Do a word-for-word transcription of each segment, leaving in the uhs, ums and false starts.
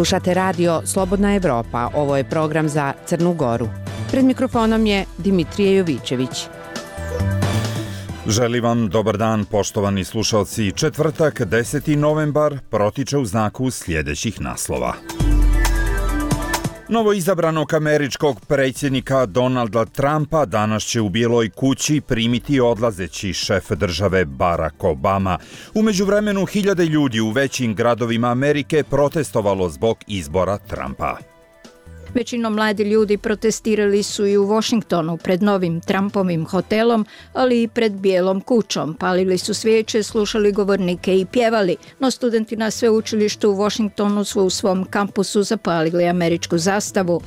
Slušate radio Slobodna Evropa, ovo je program za Crnu Goru. Pred mikrofonom je Dimitrije Jovićević. Želim vam dobar dan, poštovani slušalci. Četvrtak, deseti novembar, protiče u znaku sljedećih naslova. Novoizabranog američkog predsjednika Donalda Trumpa danas će u Bijeloj kući primiti odlazeći šef države Barack Obama. U međuvremenu hiljade ljudi u većim gradovima Amerike protestovalo zbog izbora Trumpa. Većinom mladi ljudi protestirali su i u Washingtonu pred novim Trumpovim hotelom, ali i pred Bijelom kućom. Palili su svijeće, slušali govornike i pjevali, no studenti na sveučilištu u Washingtonu su u svom kampusu zapalili američku zastavu.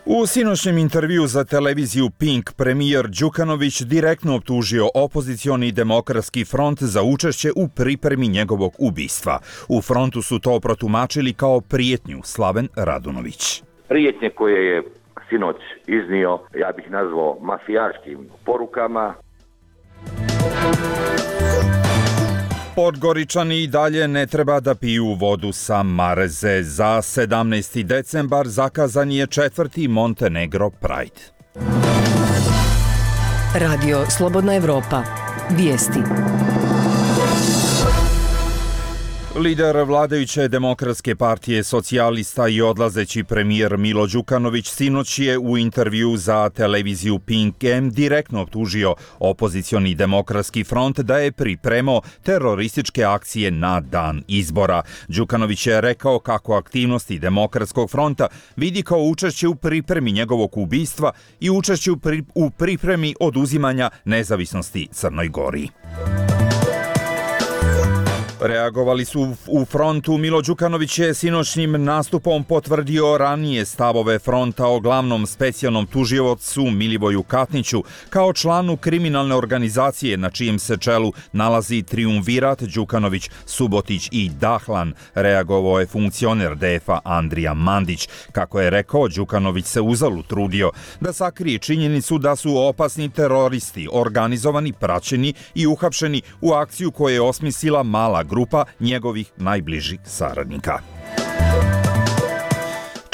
U sinoćnjem intervju za televiziju Pink premijer Đukanović direktno optužio opozicioni demokratski front za učešće u pripremi njegovog ubistva. U frontu su to protumačili kao prijetnju. Slaven Radunović. Prijetnje koje je sinoć iznio, ja bih nazvao mafijaškim porukama. Podgoričani i dalje ne treba da piju vodu sa Mareze. Za sedamnaesti decembar zakazan je četvrti Montenegro Pride. Radio Slobodna Evropa. Vijesti. Lider vladajuće demokratske partije socijalista i odlazeći premijer Milo Đukanović sinoć je u intervju za televiziju Pink M direktno optužio opozicioni demokratski front da je pripremao terorističke akcije na dan izbora. Đukanović je rekao kako aktivnosti demokratskog fronta vidi kao učešće u pripremi njegovog ubistva i učešće u pripremi oduzimanja nezavisnosti Crnoj Gori. Reagovali su u frontu. Milo Đukanović je sinoćnim nastupom potvrdio ranije stavove fronta o glavnom specijalnom tužiocu Milivoju Katniću kao članu kriminalne organizacije na čijem se čelu nalazi trijumvirat Đukanović, Subotić i Dahlan. Reagovao je funkcioner D F A Andrija Mandić. Kako je rekao, Đukanović se uzalud trudio da sakrije činjenicu da su opasni teroristi organizovani, praćeni i uhapšeni u akciju koju je osmislila mala grupa njegovih najbližih saradnika.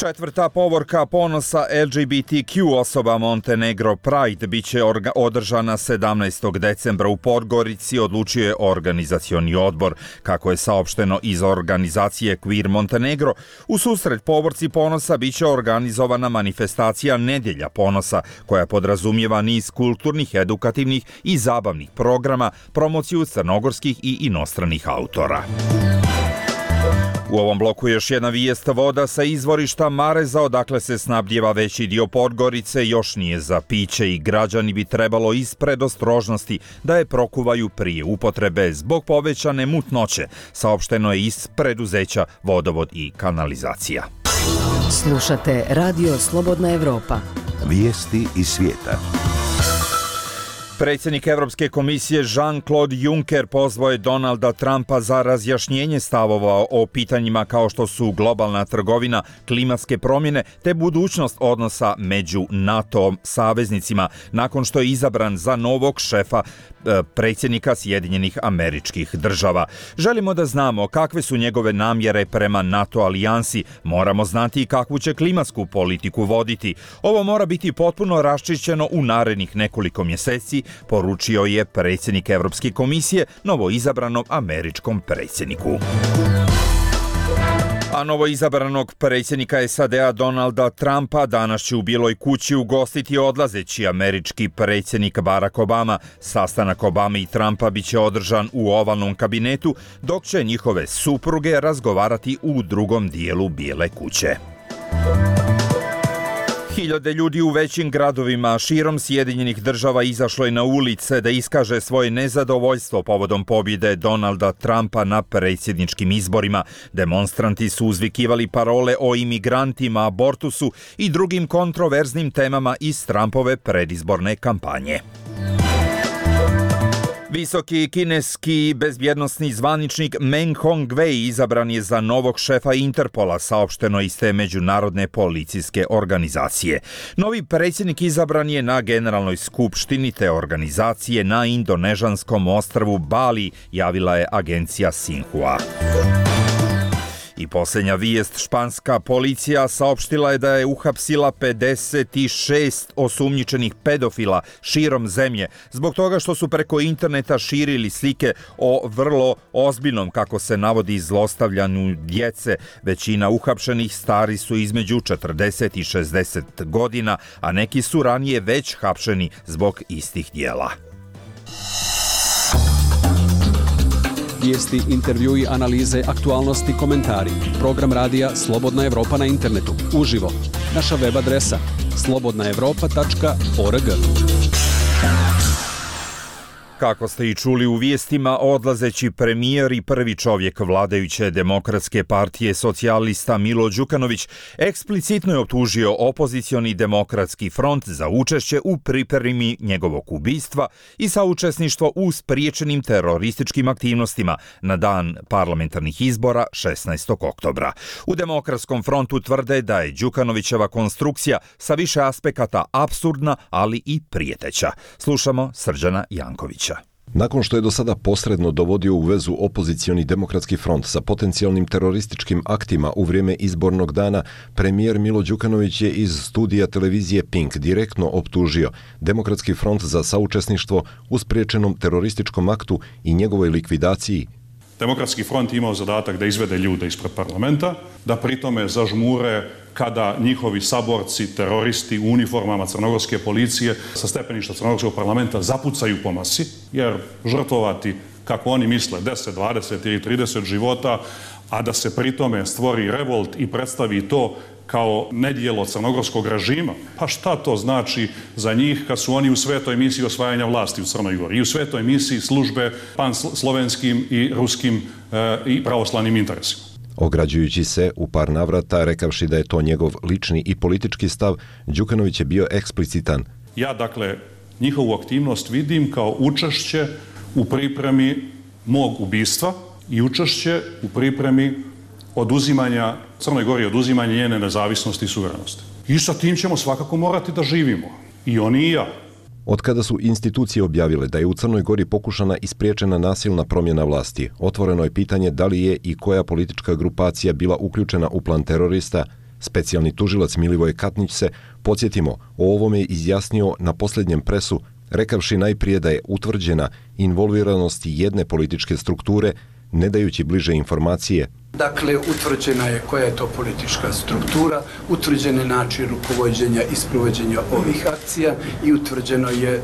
Četvrta povorka ponosa L G B T Q osoba Montenegro Pride biće orga- održana sedamnaestog decembra u Podgorici, odlučio je organizacioni odbor. Kako je saopšteno iz organizacije Queer Montenegro, u susret povorci ponosa biće organizovana manifestacija Nedjelja ponosa, koja podrazumijeva niz kulturnih, edukativnih i zabavnih programa, promociju crnogorskih i inostranih autora. U ovom bloku još jedna vijest. Voda sa izvorišta Mareza, odakle se snabdijeva veći dio Podgorice, još nije za piće i građani bi trebalo iz predostrožnosti da je prokuvaju prije upotrebe zbog povećane mutnoće, saopšteno je iz preduzeća Vodovod i kanalizacija. Slušate Radio Slobodna Evropa. Vijesti iz svijeta. Predsjednik Europske komisije Jean-Claude Juncker pozvao je Donalda Trumpa za razjašnjenje stavova o pitanjima kao što su globalna trgovina, klimatske promjene te budućnost odnosa među NATO saveznicima nakon što je izabran za novog šefa predsjednika Sjedinjenih Američkih Država. Želimo da znamo kakve su njegove namjere prema NATO alijansi, moramo znati kakvu će klimatsku politiku voditi. Ovo mora biti potpuno raščišćeno u narednih nekoliko mjeseci, poručio je predsjednik Europske komisije novoizabranom američkom predsjedniku. A novoizabranog predsjednika S A D-a Donalda Trumpa danas će u Bijeloj kući ugostiti odlazeći američki predsjednik Barack Obama. Sastanak Obame i Trumpa biće održan u ovalnom kabinetu, dok će njihove supruge razgovarati u drugom dijelu Bijele kuće. Hiljade ljudi u većim gradovima širom Sjedinjenih Država izašlo je na ulice da iskaže svoje nezadovoljstvo povodom pobjede Donalda Trumpa na predsjedničkim izborima. Demonstranti su uzvikivali parole o imigrantima, abortusu i drugim kontroverznim temama iz Trumpove predizborne kampanje. Visoki kineski bezbjednosni zvaničnik Meng Hongwei izabran je za novog šefa Interpola, saopšteno iz te međunarodne policijske organizacije. Novi predsjednik izabran je na generalnoj skupštini te organizacije na indonežanskom ostrvu Bali, javila je agencija Xinhua. I posljednja vijest, španska policija saopštila je da je uhapsila pedeset šest osumnjičenih pedofila širom zemlje zbog toga što su preko interneta širili slike o vrlo ozbiljnom, kako se navodi, zlostavljanju djece. Većina uhapšenih stari su između četrdeset i šezdeset godina, a neki su ranije već hapšeni zbog istih djela. Vijesti, intervjui, analize, aktualnosti, komentari. Program radija Slobodna Evropa na internetu. Uživo. Naša web adresa slobodna evropa tačka org. Kako ste i čuli u vijestima, odlazeći premijer i prvi čovjek vladajuće Demokratske partije socijalista Milo Đukanović eksplicitno je optužio opozicioni Demokratski front za učešće u pripremi njegovog ubistva i saučesništvo u spriječenim terorističkim aktivnostima na dan parlamentarnih izbora šesnaestog oktobra. U Demokratskom frontu tvrde da je Đukanovićeva konstrukcija sa više aspekata apsurdna, ali i prijeteća. Slušamo Srđana Jankovića. Nakon što je do sada posredno dovodio u vezu opozicioni Demokratski front sa potencijalnim terorističkim aktima u vrijeme izbornog dana, premijer Milo Đukanović je iz studija televizije Pink direktno optužio Demokratski front za saučesništvo u spriječenom terorističkom aktu i njegovoj likvidaciji. Demokratski front imao zadatak da izvede ljude ispred parlamenta, da pritome zažmure kada njihovi saborci, teroristi u uniformama crnogorske policije sa stepeništa crnogorskog parlamenta zapucaju po masi, jer žrtvovati, kako oni misle, deset, dvadeset ili trideset života, a da se pritome stvori revolt i predstavi to kao nedjelo crnogorskog režima, pa šta to znači za njih kad su oni u svetoj misiji osvajanja vlasti u Crnoj Gori i u svetoj misiji službe panslovenskim i ruskim e, i pravoslavnim interesima. Ograđujući se u par navrata, rekavši da je to njegov lični i politički stav, Đukanović je bio eksplicitan. Ja, dakle, njihovu aktivnost vidim kao učešće u pripremi mog ubistva i učešće u pripremi oduzimanja Crnoj Gori, oduzimanja njene nezavisnosti i suverenosti. I sa tim ćemo svakako morati da živimo. I oni i ja. Od kada su institucije objavile da je u Crnoj Gori pokušana i spriječena nasilna promjena vlasti, otvoreno je pitanje da li je i koja politička grupacija bila uključena u plan terorista. Specijalni tužilac Milivoje Katnić se, podsjetimo, o ovome izjasnio na posljednjem presu, rekavši najprije da je utvrđena involviranost jedne političke strukture, ne dajući bliže informacije. Dakle, utvrđena je koja je to politička struktura, utvrđen je način rukovođenja i sprovođenja ovih akcija i utvrđeno je e,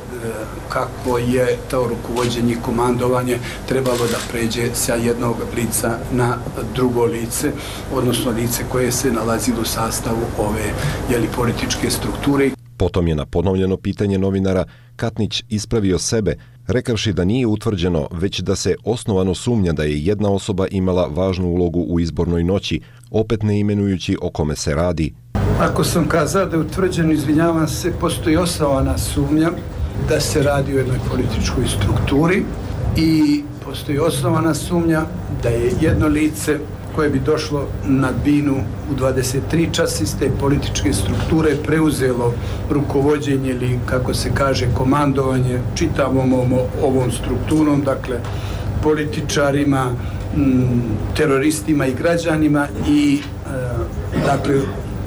kako je to rukovođenje i komandovanje trebalo da pređe sa jednog lica na drugo lice, odnosno lice koje se nalazilo u sastavu ove jeli, političke strukture. Potom je na ponovljeno pitanje novinara Katnić ispravio sebe, rekavši da nije utvrđeno, već da se osnovano sumnja da je jedna osoba imala važnu ulogu u izbornoj noći, opet ne imenujući o kome se radi. Ako sam kazao da je utvrđeno, izvinjavam se, postoji osnovana sumnja da se radi o jednoj političkoj strukturi i postoji osnovana sumnja da je jedno lice koje bi došlo na binu u dvadeset tri časa iz te političke strukture preuzelo rukovođenje ili, kako se kaže, komandovanje čitavom ovom, ovom strukturom, dakle političarima, m, teroristima i građanima i e, dakle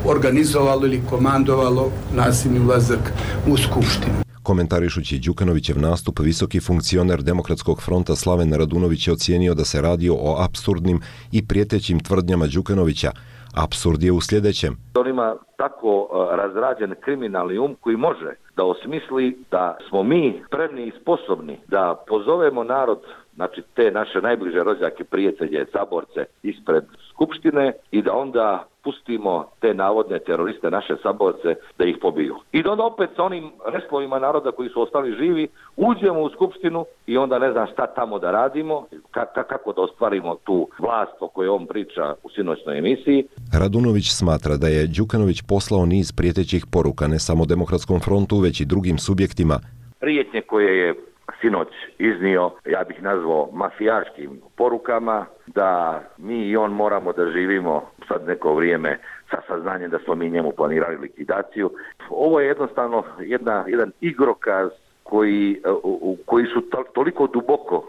organizovalo ili komandovalo nasilni ulazak u skupštinu. Komentarišući Đukanovićev nastup, visoki funkcioner Demokratskog fronta Slaven Radunović je ocijenio da se radi o apsurdnim i prijetećim tvrdnjama Đukanovića. Apsurd je u sljedećem. On ima tako razrađen kriminalni um koji može da osmisli da smo mi spremni i sposobni da pozovemo narod, znači te naše najbliže rođake, prijatelje, saborce ispred skupštine i da onda pustimo te navodne teroriste, naše saborce, da ih pobiju. I da onda opet sa onim restlovima naroda koji su ostali živi, uđemo u skupštinu i onda ne znam šta tamo da radimo, ka- kako da ostvarimo tu vlast o kojoj on priča u sinoćnoj emisiji. Radunović smatra da je Đukanović poslao niz prijetećih poruka ne samo Demokratskom frontu, već i drugim subjektima. Prijetnje koje je sinoć iznio, ja bih nazvao mafijaškim porukama, da mi i on moramo da živimo sad neko vrijeme sa saznanjem da smo mi njemu planirali likvidaciju. Ovo je jednostavno jedna, jedan igrokaz koji, u, koji su to, toliko duboko uh,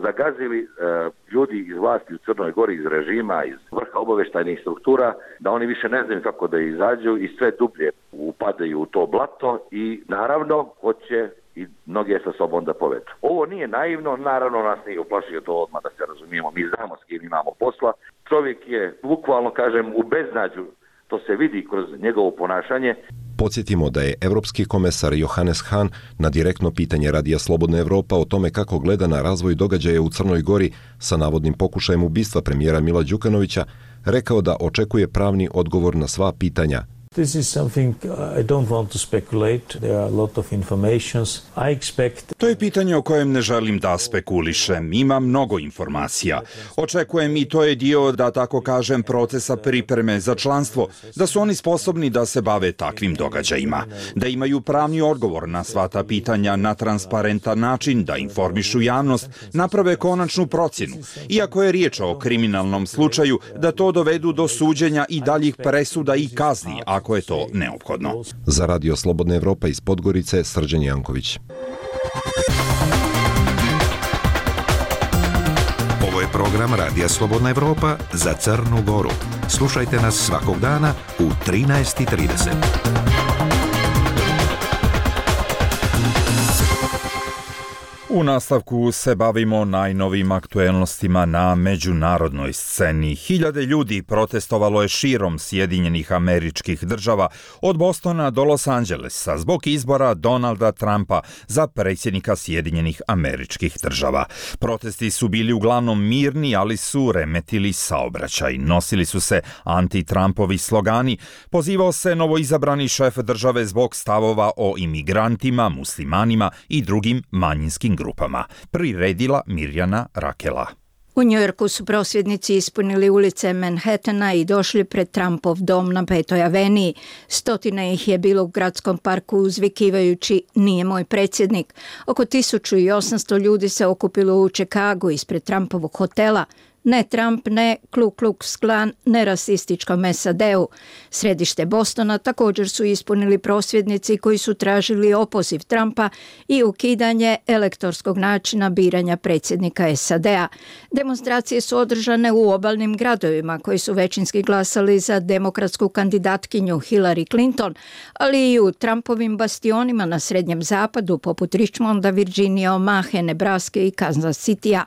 zagazili uh, ljudi iz vlasti u Crnoj Gori, iz režima, iz vrha obavještajnih struktura, da oni više ne znaju kako da izađu i sve dublje upadaju u to blato i naravno hoće i mnoge sa sobom da povedu. Ovo nije naivno, naravno nas nije uplašio to odmah, da se razumijemo, mi znamo s kim imamo posla. Čovjek je bukvalno, kažem, u beznađu, to se vidi kroz njegovo ponašanje. Podsjetimo da je evropski komesar Johannes Hahn na direktno pitanje Radija Slobodna Evropa o tome kako gleda na razvoj događaja u Crnoj Gori sa navodnim pokušajem ubistva premijera Mila Đukanovića rekao da očekuje pravni odgovor na sva pitanja. This is something I don't want to speculate. There are a lot of informations. I expect... To je pitanje o kojem ne želim da spekulišem. Ima mnogo informacija. Očekujem i to je dio, da tako kažem, procesa pripreme za članstvo, da su oni sposobni da se bave takvim događajima, da imaju pravni odgovor na sva ta pitanja na transparentan način, da informišu javnost, naprave konačnu procjenu. Iako je riječ o kriminalnom slučaju, da to dovedu do suđenja i daljih presuda i kazni, ako je to neophodno. Za Radio Slobodna Evropa iz Podgorice, Srđan Janković. Ovo je program Radija Slobodna Evropa za Crnu Goru. Slušajte nas svakog dana u trinaest i trideset. U nastavku se bavimo najnovim aktuelnostima na međunarodnoj sceni. Hiljade ljudi protestovalo je širom Sjedinjenih Američkih Država od Bostona do Los Angelesa zbog izbora Donalda Trumpa za predsjednika Sjedinjenih Američkih Država. Protesti su bili uglavnom mirni, ali su remetili saobraćaj. Nosili su se anti-Trumpovi slogani. Pozivao se novoizabrani šef države zbog stavova o imigrantima, muslimanima i drugim manjinskim grupama. Priredila Mirjana Rakela. U Njujorku su prosvjednici ispunili ulice Manhattana i došli pred Trumpov dom na Petoj aveniji. Stotine ih je bilo u gradskom parku uzvikivajući "Nije moj predsjednik". Oko tisuću osamsto ljudi se okupilo u Čikagu ispred Trumpovog hotela. Ne Trump, ne Ku Klux Klan, ne rasističkom S A D-u. Središte Bostona također su ispunili prosvjednici koji su tražili opoziv Trumpa i ukidanje elektorskog načina biranja predsjednika S A D-a. Demonstracije su održane u obalnim gradovima koji su većinski glasali za demokratsku kandidatkinju Hillary Clinton, ali i u Trumpovim bastionima na Srednjem zapadu poput Richmonda, Virginije, Omahe, Nebraske i Kansas Citya.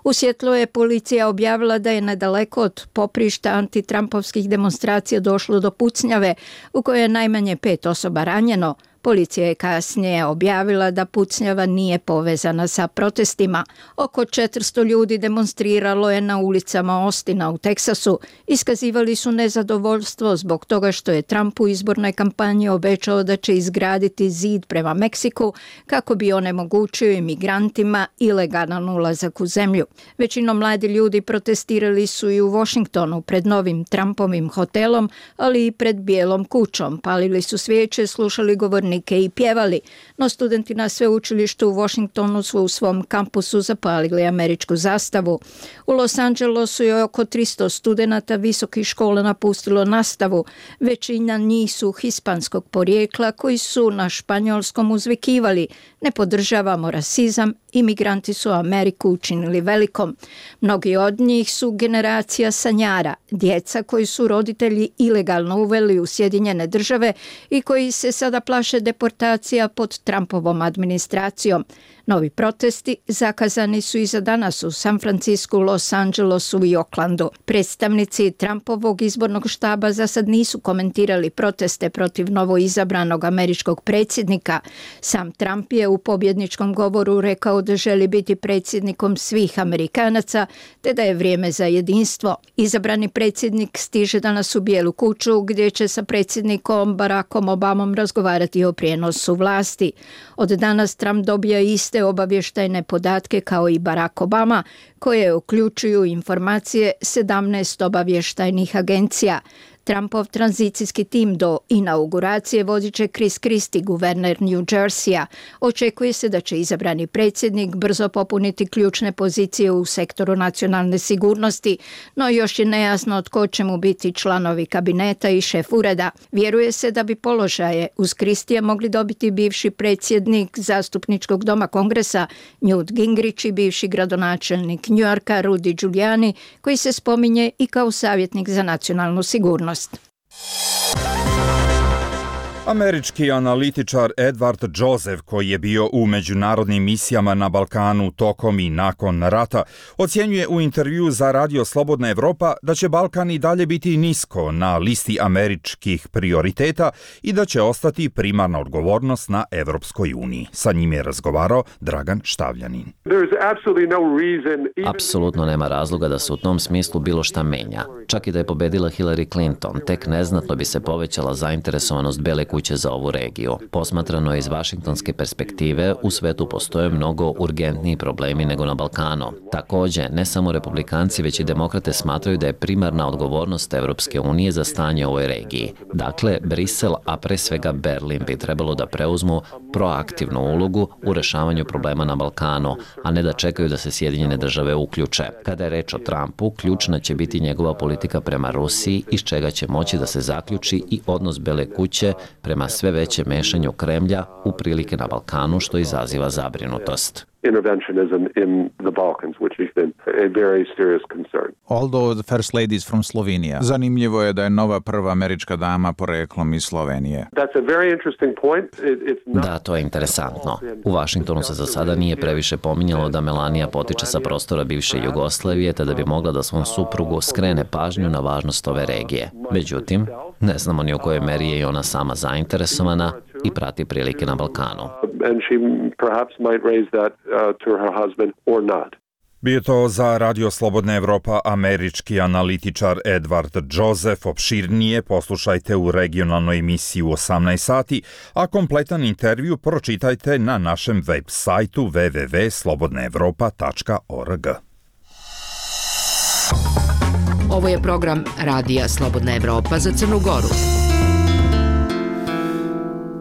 U Sjetlu je policija objavila da je nedaleko od poprišta antitrampovskih demonstracija došlo do pucnjave u kojoj je najmanje pet osoba ranjeno. Policija je kasnije objavila da pucnjava nije povezana sa protestima. Oko četiristo ljudi demonstriralo je na ulicama Austina u Teksasu. Iskazivali su nezadovoljstvo zbog toga što je Trump u izbornoj kampanji obećao da će izgraditi zid prema Meksiku kako bi onemogućio imigrantima ilegalan ulazak u zemlju. Većinom mladi ljudi protestirali su i u Washingtonu pred novim Trumpovim hotelom, ali i pred Bijelom kućom. Palili su svijeće, slušali govornike i pjevali, no studenti na sveučilištu u Washingtonu su u svom kampusu zapalili američku zastavu. U Los Angelesu je oko tristo studenata visokih škola napustilo nastavu. Većina njih su hispanskog porijekla koji su na španjolskom uzvikivali: "Ne podržavamo rasizam, imigranti su Ameriku učinili velikom." Mnogi od njih su generacija sanjara, djeca koji su roditelji ilegalno uveli u Sjedinjene Države i koji se sada plaše deportacija pod Trumpovom administracijom. Novi protesti zakazani su i za danas u San Francisku, Los Angelesu i Oaklandu. Predstavnici Trumpovog izbornog štaba za sad nisu komentirali proteste protiv novoizabranog američkog predsjednika. Sam Trump je u pobjedničkom govoru rekao da želi biti predsjednikom svih Amerikanaca, te da je vrijeme za jedinstvo. Izabrani predsjednik stiže danas u Bijelu kuću, gdje će sa predsjednikom Barackom Obamom razgovarati o prijenosu vlasti. Od danas Trump dobija iste obavještajne podatke kao i Barack Obama, koje uključuju informacije sedamnaest obavještajnih agencija. Trumpov tranzicijski tim do inauguracije vodit će Chris Christie, guverner New Jerseya. Očekuje se da će izabrani predsjednik brzo popuniti ključne pozicije u sektoru nacionalne sigurnosti, no još je nejasno tko će mu biti članovi kabineta i šef ureda. Vjeruje se da bi položaje uz Christija mogli dobiti bivši predsjednik zastupničkog doma Kongresa Newt Gingrich i bivši gradonačelnik New Yorka Rudy Giuliani, koji se spominje i kao savjetnik za nacionalnu sigurnost. Američki analitičar Edward Joseph, koji je bio u međunarodnim misijama na Balkanu tokom i nakon rata, ocjenjuje u intervju za Radio Slobodna Evropa da će Balkan i dalje biti nisko na listi američkih prioriteta i da će ostati primarna odgovornost na Evropskoj uniji. Sa njim je razgovarao Dragan Štavljanin. Apsolutno nema razloga da se u tom smislu bilo šta menja. Čak i da je pobedila Hillary Clinton, tek neznatno bi se povećala zainteresovanost Bele kuće za ovu regiju. Posmatrano iz vašingtonske perspektive, u svetu postoje mnogo urgentniji problemi nego na Balkanu. Također, ne samo republikanci, već i demokrate smatraju da je primarna odgovornost Evropske unije za stanje u ovoj regiji. Dakle, Brisel, a pre svega Berlin, bi trebalo da preuzmu proaktivnu ulogu u rešavanju problema na Balkanu, a ne da čekaju da se Sjedinjene države uključe. Kada je reč o Trumpu, ključna će biti njegova politika prema Rusiji, iz čega će moći da se zaključi i odnos Bele kuće prema sve veće mešanju Kremlja u prilike na Balkanu, što izaziva zabrinutost. interventionism in the Balkans, which has been a very serious concern. Although the first lady is from Slovenia. Zanimljivo je da je nova prva američka dama poreklom iz Slovenije. That's a very interesting point. It, it's not... Da, to je interesantno. U Vašingtonu se za sada nije previše pominjalo da Melania potiče sa prostora bivše Jugoslavije, te da bi mogla da svom suprugu skrene pažnju na važnost ove regije. Međutim, ne znamo ni u kojoj meri je i ona sama zainteresovana i prati prilike na Balkanu. And she perhaps might raise that uh, to her husband or not. Bio to za Radio Slobodna Evropa američki analitičar Edward Joseph. Opširnije poslušajte u regionalnoj emisiji u osamnaest sati, a kompletan intervju pročitajte na našem web sajtu w w w tačka slobodna evropa tačka org. Ovo je program Radija Slobodna Evropa za Crnu Goru.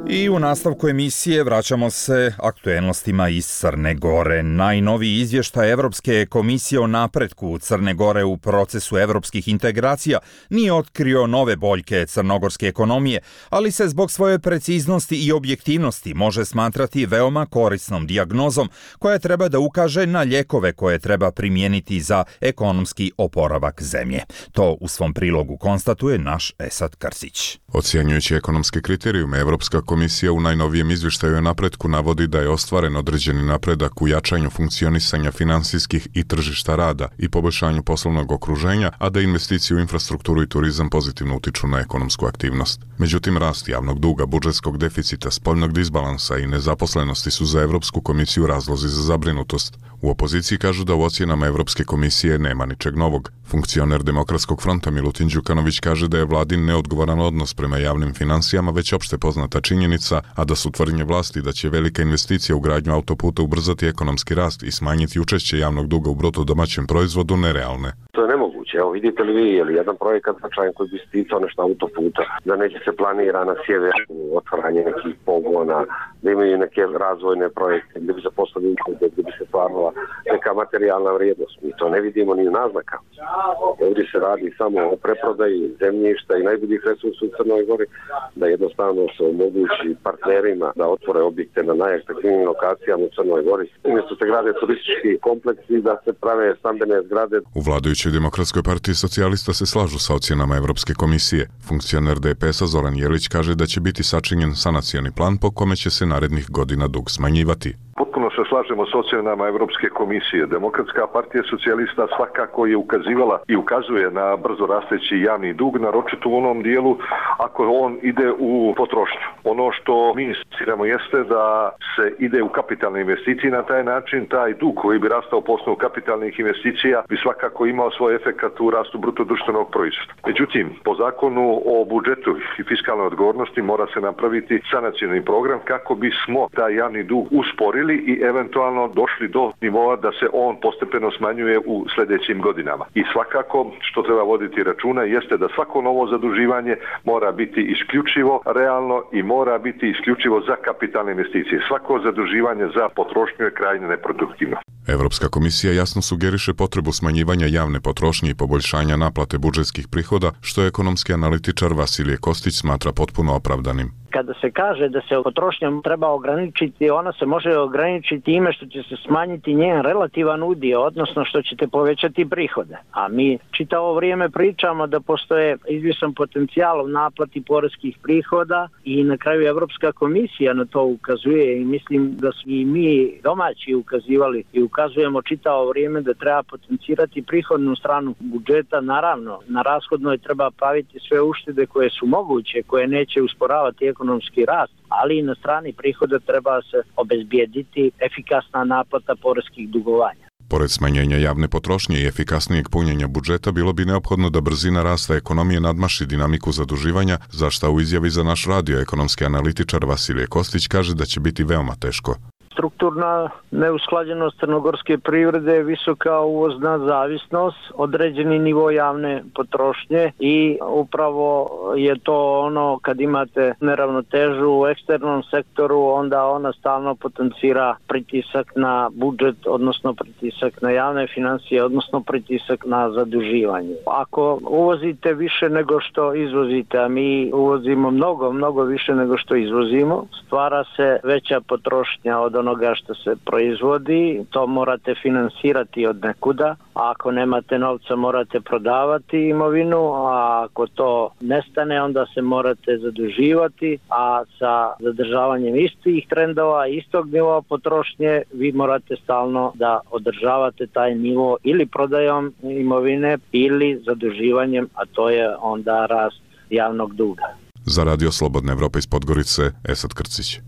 I u nastavku emisije vraćamo se aktuelnostima iz Crne Gore. Najnoviji izvještaj Evropske komisije o napretku Crne Gore u procesu evropskih integracija nije otkrio nove boljke crnogorske ekonomije, ali se zbog svoje preciznosti i objektivnosti može smatrati veoma korisnom dijagnozom koja treba da ukaže na lijekove koje treba primijeniti za ekonomski oporavak zemlje. To u svom prilogu konstatuje naš Esad Krsić. Ocjenjujući ekonomske kriterijume, Evropska komisija u najnovijem izvještaju o napretku navodi da je ostvaren određeni napredak u jačanju funkcionisanja finansijskih i tržišta rada i poboljšanju poslovnog okruženja, a da investicije u infrastrukturu i turizam pozitivno utiču na ekonomsku aktivnost. Međutim, rast javnog duga, budžetskog deficita, spoljnog disbalansa i nezaposlenosti su za Evropsku komisiju razlozi za zabrinutost. U opoziciji kažu da u ocjenama Evropske komisije nema ničeg novog. Funkcioner Demokratskog fronta Milutin Đukanović kaže da je vladin neodgovoran odnos prema javnim finansijama već opšte poznata činjenica, a da su tvrdnje vlasti da će velika investicija u gradnju autoputa ubrzati ekonomski rast i smanjiti učešće javnog duga u bruto domaćem proizvodu nerealne. To je nemoguće. Evo, vidite li vi, je li jedan projekat značajan koji bi sticao nešto autoputa, da neće se planira na sjeveru otvaranje nekih pogona, da imaju neke razvojne projekte, gdje bi se postavili gdje bi se stvarala neka materijalna vrijednost. Mi to ne vidimo ni u naznakama. Ovdje se radi samo o preprodaji zemljišta i najboljih resursa u Crnoj Gori, da jednostavno se omogući partnerima da otvore objekte na najatraktivnijim lokacijama u Crnoj Gori. Umjesto se grade turistički kompleksi, da se prave stambene zgrade. U vladajućoj Demokratskoj partiji socijalista se slažu sa ocjenama Evropske komisije. Funkcioner D P S-a Zoran Jelić kaže da će biti sačinjen sanacioni plan po kome će se narednih godina dug smanjivati. Potpuno se slažemo s ocjenama Evropske komisije. Demokratska partija socijalista svakako je ukazivala i ukazuje na brzo rasteći javni dug, naročito u onom dijelu ako on ide u potrošnju. Ono što mi insistiramo jeste da se ide u kapitalne investicije na taj način, taj dug koji bi rastao po osnovu kapitalnih investicija bi svakako imao svoj efekat u rastu bruto društvenog proizvoda. Međutim, po zakonu o budžetu i fiskalnoj odgovornosti mora se napraviti sanacioni program kako bismo taj javni dug usporili i eventualno došli do nivoa da se on postepeno smanjuje u sljedećim godinama. I svakako što treba voditi računa jeste da svako novo zaduživanje mora biti isključivo realno i mora biti isključivo za kapitalne investicije. Svako zaduživanje za potrošnju je krajnje neproduktivno. Evropska komisija jasno sugeriše potrebu smanjivanja javne potrošnje i poboljšanja naplate budžetskih prihoda, što je ekonomski analitičar Vasilije Kostić smatra potpuno opravdanim. Kada se kaže da se potrošnja treba ograničiti, ona se može ograničiti time što će se smanjiti njen relativan udio, odnosno što ćete povećati prihode. A mi čitavo vrijeme pričamo da postoje izvisan potencijal u naplati poreskih prihoda i na kraju Evropska komisija na to ukazuje i mislim da su i mi domaći ukazivali i ukazujemo čitavo vrijeme da treba potencirati prihodnu stranu budžeta. Naravno, na rashodnoj treba praviti sve uštede koje su moguće, koje neće usporavati ekonomski rast, ali i na strani prihoda treba se obezbijediti efikasna naplata poreskih dugovanja. Pored smanjenja javne potrošnje i efikasnijeg punjenja budžeta, bilo bi neophodno da brzina rasta ekonomije nadmaši dinamiku zaduživanja, za šta u izjavi za naš radio ekonomski analitičar Vasilije Kostić kaže da će biti veoma teško. Strukturna neusklađenost crnogorske privrede je visoka uvozna zavisnost, određeni nivo javne potrošnje i upravo je to ono kad imate neravnotežu u eksternom sektoru, onda ona stalno potencira pritisak na budžet, odnosno pritisak na javne financije, odnosno pritisak na zaduživanje. Ako uvozite više nego što izvozite, a mi uvozimo mnogo, mnogo više nego što izvozimo, stvara se veća potrošnja od onoga što se proizvodi, to morate finansirati od nekuda, a ako nemate novca morate prodavati imovinu, a ako to nestane onda se morate zaduživati, a sa zadržavanjem istih trendova, istog nivoa potrošnje vi morate stalno da održavate taj nivo ili prodajom imovine ili zaduživanjem, a to je onda rast javnog duga. Za Radio Slobodna Evropa iz Podgorice, Esad Krcić.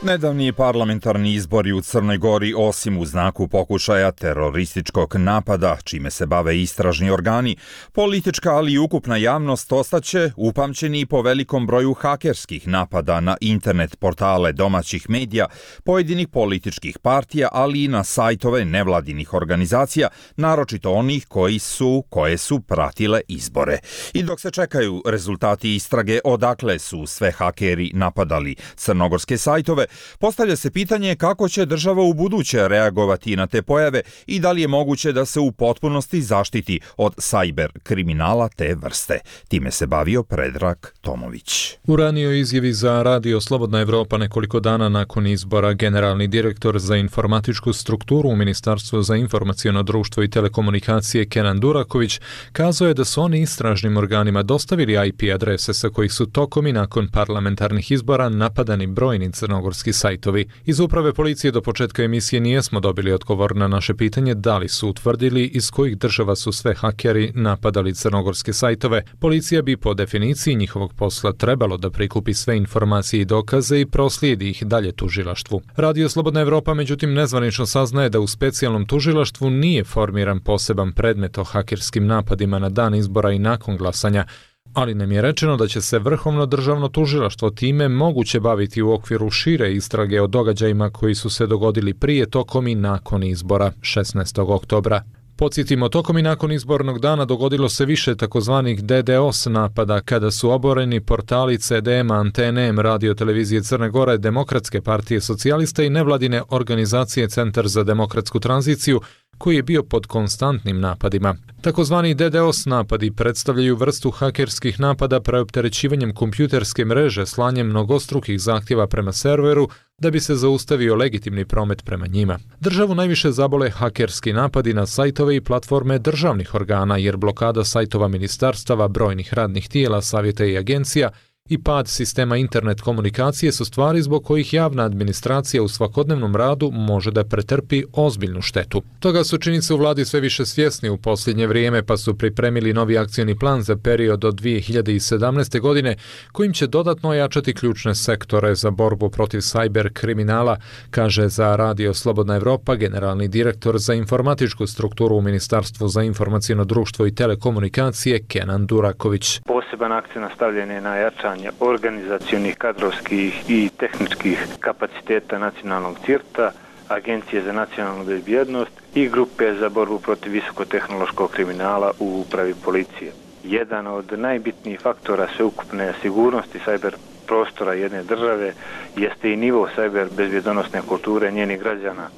Nedavni parlamentarni izbori u Crnoj Gori, osim u znaku pokušaja terorističkog napada, čime se bave istražni organi, politička ali i ukupna javnost ostaće upamćeni po velikom broju hakerskih napada na internet portale domaćih medija, pojedinih političkih partija, ali i na sajtove nevladinih organizacija, naročito onih koji su, koje su pratile izbore. I dok se čekaju rezultati istrage odakle su sve hakeri napadali crnogorske sajtove, postavlja se pitanje kako će država u buduće reagovati na te pojave i da li je moguće da se u potpunosti zaštiti od sajber kriminala te vrste. Time se bavio Predrag Tomović. U ranijoj izjavi za Radio Slobodna Evropa nekoliko dana nakon izbora, generalni direktor za informatičku strukturu u Ministarstvu za informaciono društvo i telekomunikacije Kenan Duraković kazao je da su oni istražnim organima dostavili I P adrese sa kojih su tokom i nakon parlamentarnih izbora napadani brojni crnogorski sajtovi. Iz uprave policije do početka emisije nijesmo dobili odgovor na naše pitanje da li su utvrdili iz kojih država su sve hakeri napadali crnogorske sajtove. Policija bi po definiciji njihovog posla trebalo da prikupi sve informacije i dokaze i proslijedi ih dalje tužilaštvu. Radio Slobodna Evropa međutim nezvanično saznaje da u specijalnom tužilaštvu nije formiran poseban predmet o hakerskim napadima na dan izbora i nakon glasanja, ali nam je rečeno da će se Vrhovno državno tužilaštvo time moguće baviti u okviru šire istrage o događajima koji su se dogodili prije, tokom i nakon izbora šesnaestog oktobra. Podsjetimo, tokom i nakon izbornog dana dogodilo se više takozvanih D D oS napada kada su oboreni portali C D M, Antene, Radio televizije Crne Gore, Demokratske partije socijalista i nevladine organizacije Centar za demokratsku tranziciju, koji je bio pod konstantnim napadima. Takozvani D D oS napadi predstavljaju vrstu hakerskih napada preopterećivanjem kompjuterske mreže slanjem mnogostrukih zahtjeva prema serveru da bi se zaustavio legitimni promet prema njima. Državu najviše zabole hakerski napadi na sajtove i platforme državnih organa, jer blokada sajtova ministarstava, brojnih radnih tijela, savjeta i agencija i pad sistema internet komunikacije su stvari zbog kojih javna administracija u svakodnevnom radu može da pretrpi ozbiljnu štetu. Toga su činjenice u vladi sve više svjesni u posljednje vrijeme, pa su pripremili novi akcioni plan za period od dvije hiljade sedamnaeste. godine, kojim će dodatno ojačati ključne sektore za borbu protiv sajber kriminala, kaže za Radio Slobodna Evropa generalni direktor za informatičku strukturu u Ministarstvu za informaciono društvo i telekomunikacije Kenan Duraković. Poseban akcent stavljen je na jačanje organizacionih, kadrovskih i tehničkih kapaciteta nacionalnog cirta, Agencije za nacionalnu bezbjednost i grupe za borbu protiv visokotehnološkog kriminala u upravi policije. Jedan od najbitnijih faktora sveukupne sigurnosti sajber prostora jedne države jeste i nivo sajber bezbjedonosne kulture njenih građana.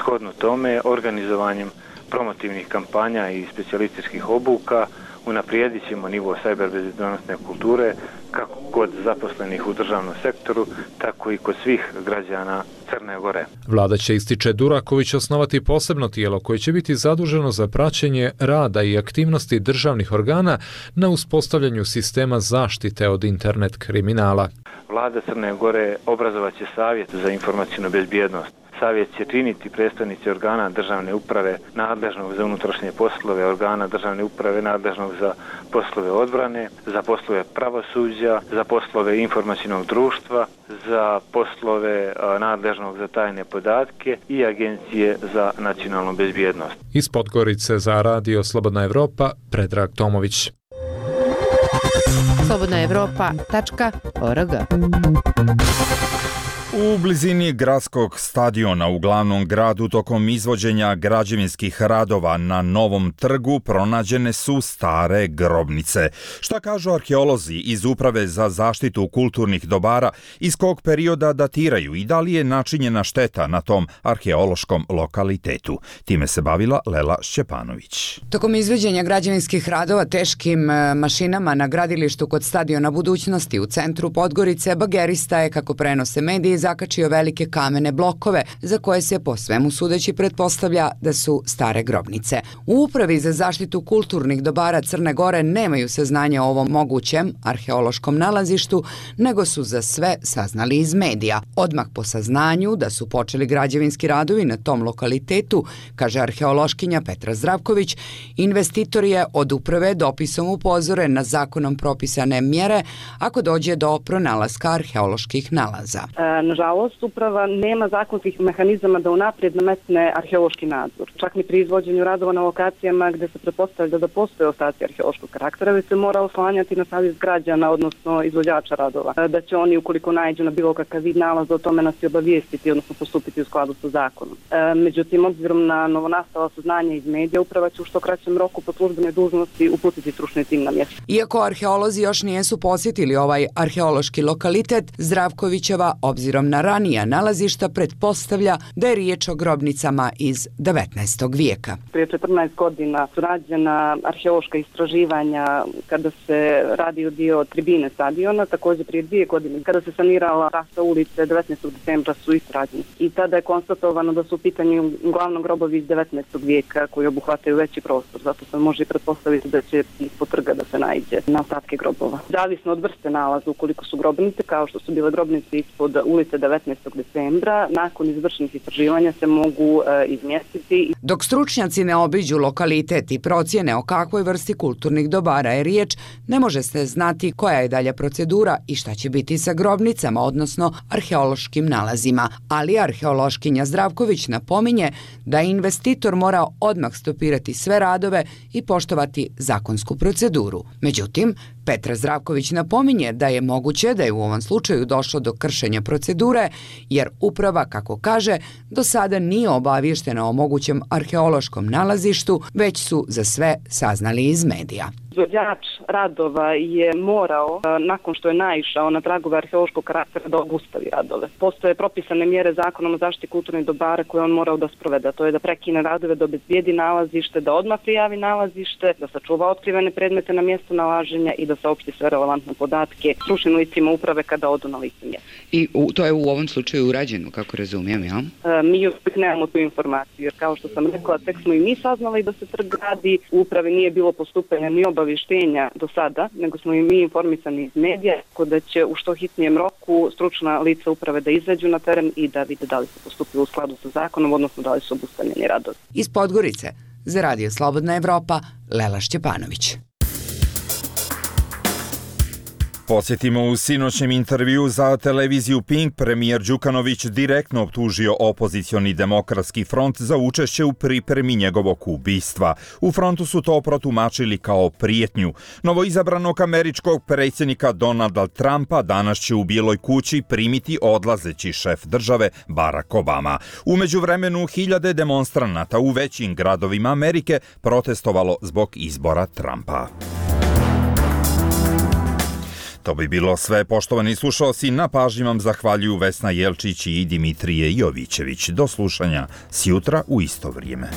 Shodno tome, organizovanjem promotivnih kampanja i specijalističkih obuka unaprijedit ćemo nivo sajber bezbjedonosne kulture kako kod zaposlenih u državnom sektoru, tako i kod svih građana Crne Gore. Vlada će, ističe Duraković, osnovati posebno tijelo koje će biti zaduženo za praćenje rada i aktivnosti državnih organa na uspostavljanju sistema zaštite od internet kriminala. Vlada Crne Gore obrazovat će savjet za informacijnu bezbjednost. Savjet će činiti predstavnici organa državne uprave nadležnog za unutrašnje poslove, organa državne uprave nadležnog za poslove odbrane, za poslove pravosuđa, za poslove informacijnog društva, za poslove nadležnog za tajne podatke i Agencije za nacionalnu bezbjednost. Iz Podgorice za Radio Slobodna Evropa, Predrag Tomović. slobodna evropa tačka org. U blizini gradskog stadiona u glavnom gradu tokom izvođenja građevinskih radova na Novom trgu pronađene su stare grobnice. Šta kažu arheolozi iz Uprave za zaštitu kulturnih dobara, iz kog perioda datiraju i da li je načinjena šteta na tom arheološkom lokalitetu? Time se bavila Lela Šćepanović. Tokom izvođenja građevinskih radova teškim mašinama na gradilištu kod stadiona Budućnosti u centru Podgorice, bagerista je, kako prenose mediji, zakačio velike kamene blokove za koje se po svemu sudeći pretpostavlja da su stare grobnice. U Upravi za zaštitu kulturnih dobara Crne Gore nemaju saznanja o ovom mogućem arheološkom nalazištu, nego su za sve saznali iz medija. Odmah po saznanju da su počeli građevinski radovi na tom lokalitetu, kaže arheološkinja Petra Zdravković, investitor je od uprave dopisom upozoren na zakonom propisane mjere ako dođe do pronalaska arheoloških nalaza. E, nažalost, uprava nema zakonskih mehanizama da unaprijed nametne arheološki nadzor. Čak ni pri izvođenju radova na lokacijama gde se pretpostavlja da postoje ostaci arheološkog karaktera, već se mora oslanjati na savjest građana, odnosno izvođača radova. Da će oni, ukoliko naiđu na bilo kakav vid nalaza, o tome nas i obavijestiti, odnosno postupiti u skladu sa zakonom. E, međutim, obzirom na novonastala saznanja iz medija, uprava će u što kraćem roku po službenoj dužnosti uputiti stručni tim na mjesto. Iako arheolozi još nijesu posjetili ovaj arheološki lokalitet, Zdravkovićeva, obzirom na ranija nalazišta, pretpostavlja da je riječ o grobnicama iz devetnaestog vijeka. Prije četrnaest godina su rađena arheološka istraživanja kada se radio dio tribine stadiona, također prije dvije godine kada se sanirala trasa ulice devetnaestog decembra su istraženi. I tada je konstatovano da su u pitanju uglavnom grobovi iz devetnaestog vijeka koji obuhvataju veći prostor, zato se može i pretpostaviti da će ispod trga da se naiđe na ostatke grobova. Zavisno od vrste nalaza, ukoliko su grobnice, kao što su bile grobnice ispod ulice devetnaestog decembra, nakon izvršenih istraživanja se mogu e, izmjestiti. Dok stručnjaci ne obiđu lokalitet i procjene o kakvoj vrsti kulturnih dobara je riječ, ne može se znati koja je dalja procedura i šta će biti sa grobnicama, odnosno arheološkim nalazima. Ali arheološkinja Zdravković napominje da investitor mora odmah stopirati sve radove i poštovati zakonsku proceduru. Međutim, Petra Zdravković napominje da je moguće da je u ovom slučaju došlo do kršenja procedure, jer uprava, kako kaže, do sada nije obavještena o mogućem arheološkom nalazištu, već su za sve saznali iz medija. Izvođač radova je morao, nakon što je naišao na tragove arheološkog karaktera, da obustavi radove. Postoje propisane mjere zakonom o zaštiti kulturnih dobara koje on morao da sprovede. To je da prekine radove, da obezbijedi nalazište, da odmah prijavi nalazište, da sačuva otkrivene predmete na mjestu nalaženja i da saopšti sve relevantne podatke stručnim licima uprave kada odu na lice mjesta. I u, to je u ovom slučaju urađeno, kako razumijem, ja? E, mi još nemamo tu informaciju, jer kao što sam rekla, tek smo i mi saznali da se trg radi, u upravi nije bilo postupanja ni obavještenja do sada, nego smo i mi informisani iz medija, tako da će u što hitnijem roku stručna lica uprave da izađu na teren i da vide da li se postupilo u skladu sa zakonom, odnosno da li su obustavljeni radovi. Iz Podgorice za Radio Slobodna Evropa, Lela Šćepanović. Posjetimo u sinoćnjem intervju za televiziju Pink premijer Đukanović direktno optužio opozicioni demokratski front za učešće u pripremi njegovog ubistva. U frontu su to protumačili kao prijetnju. Novoizabranog američkog predsjednika Donalda Trumpa danas će u Bijeloj kući primiti odlazeći šef države Barack Obama. U međuvremenu hiljade demonstranata u većim gradovima Amerike protestovalo zbog izbora Trumpa. To bi bilo sve, poštovani slušalci, na pažnji vam zahvaljuju Vesna Jelčić i Dimitrije Jovićević. Do slušanja sjutra u isto vrijeme.